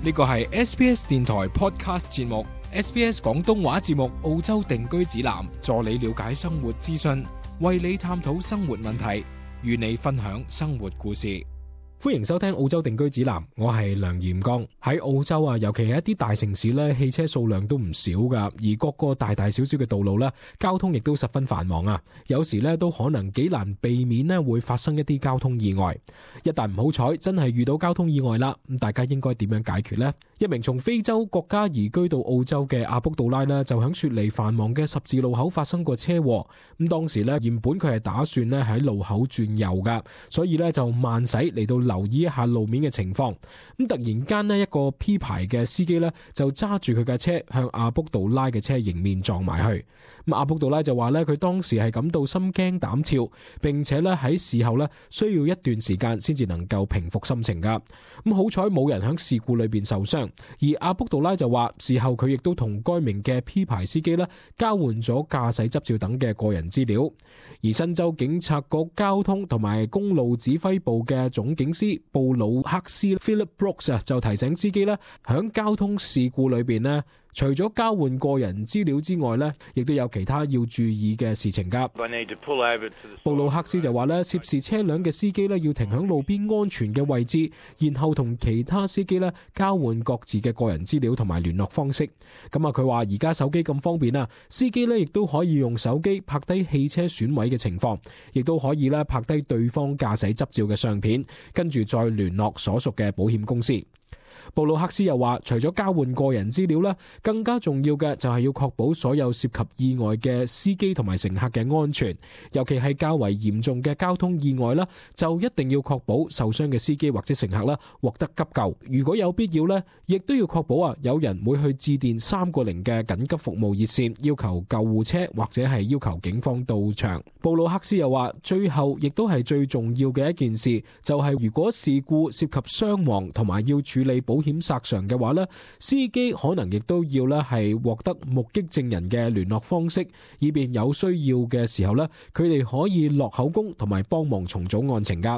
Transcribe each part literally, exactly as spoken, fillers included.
呢個係 S B S 電台 Podcast 節目 ，S B S 廣東話節目澳洲定居指南，助你了解生活資訊，為你探討生活問題，與你分享生活故事。歡迎收聽澳洲定居指南，我係梁炎剛。喺澳洲啊，尤其係一啲大城市咧，汽車數量都唔少噶，而各個大大小小嘅道路咧，交通亦都十分繁忙啊。有時咧都可能幾難避免咧會發生一啲交通意外。一旦唔好彩，真係遇到交通意外啦，咁大家應該點樣解決呢？一名從非洲國家移居到澳洲嘅阿卜杜拉呢，就響雪梨繁忙嘅十字路口發生過車禍。咁當時咧原本佢係打算咧喺路口轉右噶，所以咧就慢駛嚟到留意一下路面嘅情況。咁突然間呢，一個 P 牌嘅司機呢，就揸住佢架車向阿卜杜拉嘅車迎面撞埋去。咁阿卜杜拉就話呢，佢當時係感到心驚膽跳，並且咧喺事後呢，需要一段時間先至能夠平復心情噶。咁好彩冇人響事故裏邊受傷。而阿卜杜拉就話，事後佢亦都同該名嘅 P 牌司機呢，交換咗駕駛執照等嘅個人資料。而新州警察局交通同埋公路指揮部嘅總警司布魯克斯 Philip Brooks 啊，就提醒司機咧，響交通事故裏邊咧，除咗交換個人資料之外咧，亦都有其他要注意嘅事情噶。布魯克斯就話咧，涉事車輛嘅司機咧要停響路邊安全嘅位置，然後同其他司機咧交換各自嘅個人資料同埋聯絡方式。咁啊，佢話而家手機咁方便啊，司機咧亦都可以用手機拍低汽車損毀嘅情況，亦都可以咧拍低對方駕駛執照嘅相片，跟住再聯絡所屬嘅保險公司。布魯克斯又話，除咗交換個人資料咧，更加重要嘅就係要確保所有涉及意外嘅司機同埋乘客嘅安全，尤其係較為嚴重嘅交通意外啦，就一定要確保受傷嘅司機或者乘客啦獲得急救。如果有必要咧，亦都要確保啊有人會去致電三個零嘅緊急服務熱線，要求救護車或者係要求警方到場。布魯克斯又話，最後亦都係最重要嘅一件事，就係如果事故涉及傷亡同埋要處理保險索償嘅話呢，司機可能亦都要呢係獲得目擊證人嘅聯絡方式，以便有需要嘅時候呢，佢哋可以落口供同埋幫忙重組案情噶。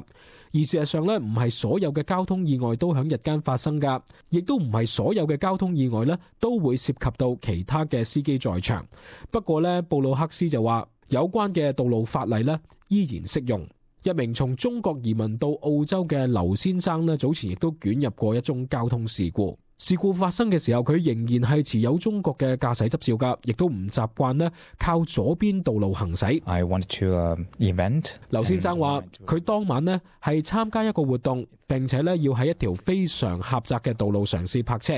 而事實上呢，唔係所有嘅交通意外都響日間發生噶，亦都唔係所有嘅交通意外呢都會涉及到其他嘅司機在場。不過呢，布魯克斯就話，有關嘅道路法例呢依然適用。一名從中國移民到澳洲嘅劉先生呢，早前亦都捲入過一宗交通事故。事故發生嘅時候，佢仍然係持有中國嘅駕駛執照噶，亦都唔習慣呢靠左邊道路行駛。I wanted to, uh, event. 劉先生話，佢當晚呢係參加一個活動，並且呢要喺一條非常狹窄嘅道路嘗試泊車。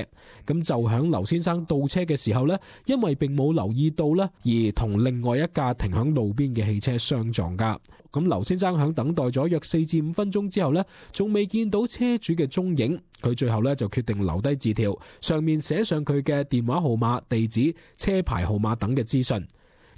咁就響劉先生倒車嘅時候呢，因為並冇留意到呢，而同另外一架停響路邊嘅汽車相撞噶。咁劉先生響等待咗約四至五分鐘之後呢，仲未見到車主嘅蹤影。佢最後呢就決定留低字條，上面寫上佢嘅電話號碼、地址、車牌號碼等嘅資訊。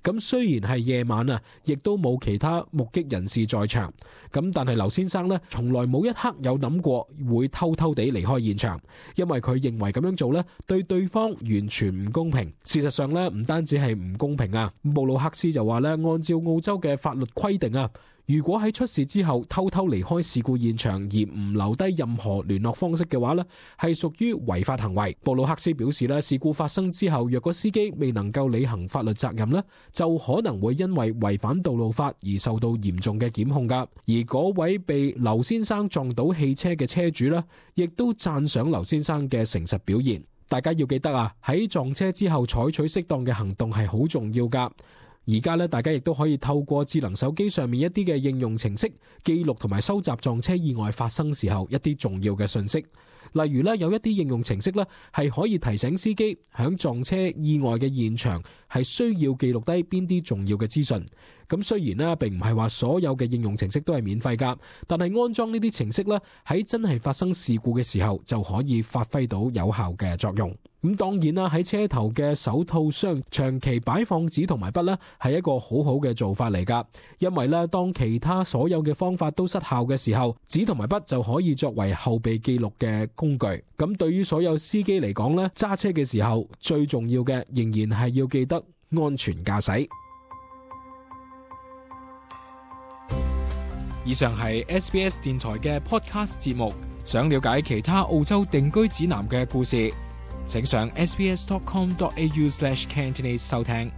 咁雖然係夜晚啊，亦都冇其他目擊人士在場。咁但係劉先生呢，從來冇一刻有諗過會偷偷地離開現場，因為佢認為咁樣做呢，對對方完全唔公平。事實上呢，唔單止係唔公平啊，布魯克斯就話呢，按照澳洲嘅法律規定啊，如果喺出事之後偷偷離開事故現場而唔留低任何聯絡方式嘅話呢，係屬於違法行為。布魯克斯表示呢，事故發生之後，若果司機未能夠履行法律責任呢，就可能會因為違反道路法而受到嚴重嘅檢控噶。而嗰位被劉先生撞到汽車嘅車主呢，亦都讚賞劉先生嘅誠實表現。大家要記得啊，喺撞車之後採取適當嘅行動係好重要噶。而家咧，大家亦都可以透過智能手機上面一啲嘅應用程式，記錄同埋收集撞車意外發生時候一啲重要嘅信息。例如咧，有一啲應用程式咧係可以提醒司機響撞車意外嘅現場係需要記錄低邊啲重要嘅資訊。咁雖然咧並唔係話所有嘅應用程式都係免費噶，但係安裝呢啲程式咧喺真係發生事故嘅時候就可以發揮到有效嘅作用。咁當然啦，喺車頭嘅手套箱長期擺放紙同埋筆咧係一個好好嘅做法嚟噶，因為咧當其他所有嘅方法都失效嘅時候，紙同埋筆就可以作為後備記錄嘅工具。咁對於所有司機嚟講咧，揸車嘅時候最重要嘅仍然係要記得安全駕駛。以上係 S B S 電台嘅 podcast 節目，想了解其他澳洲定居指南嘅故事，請上 s b s dot com dot a u slash cantonese 收聽。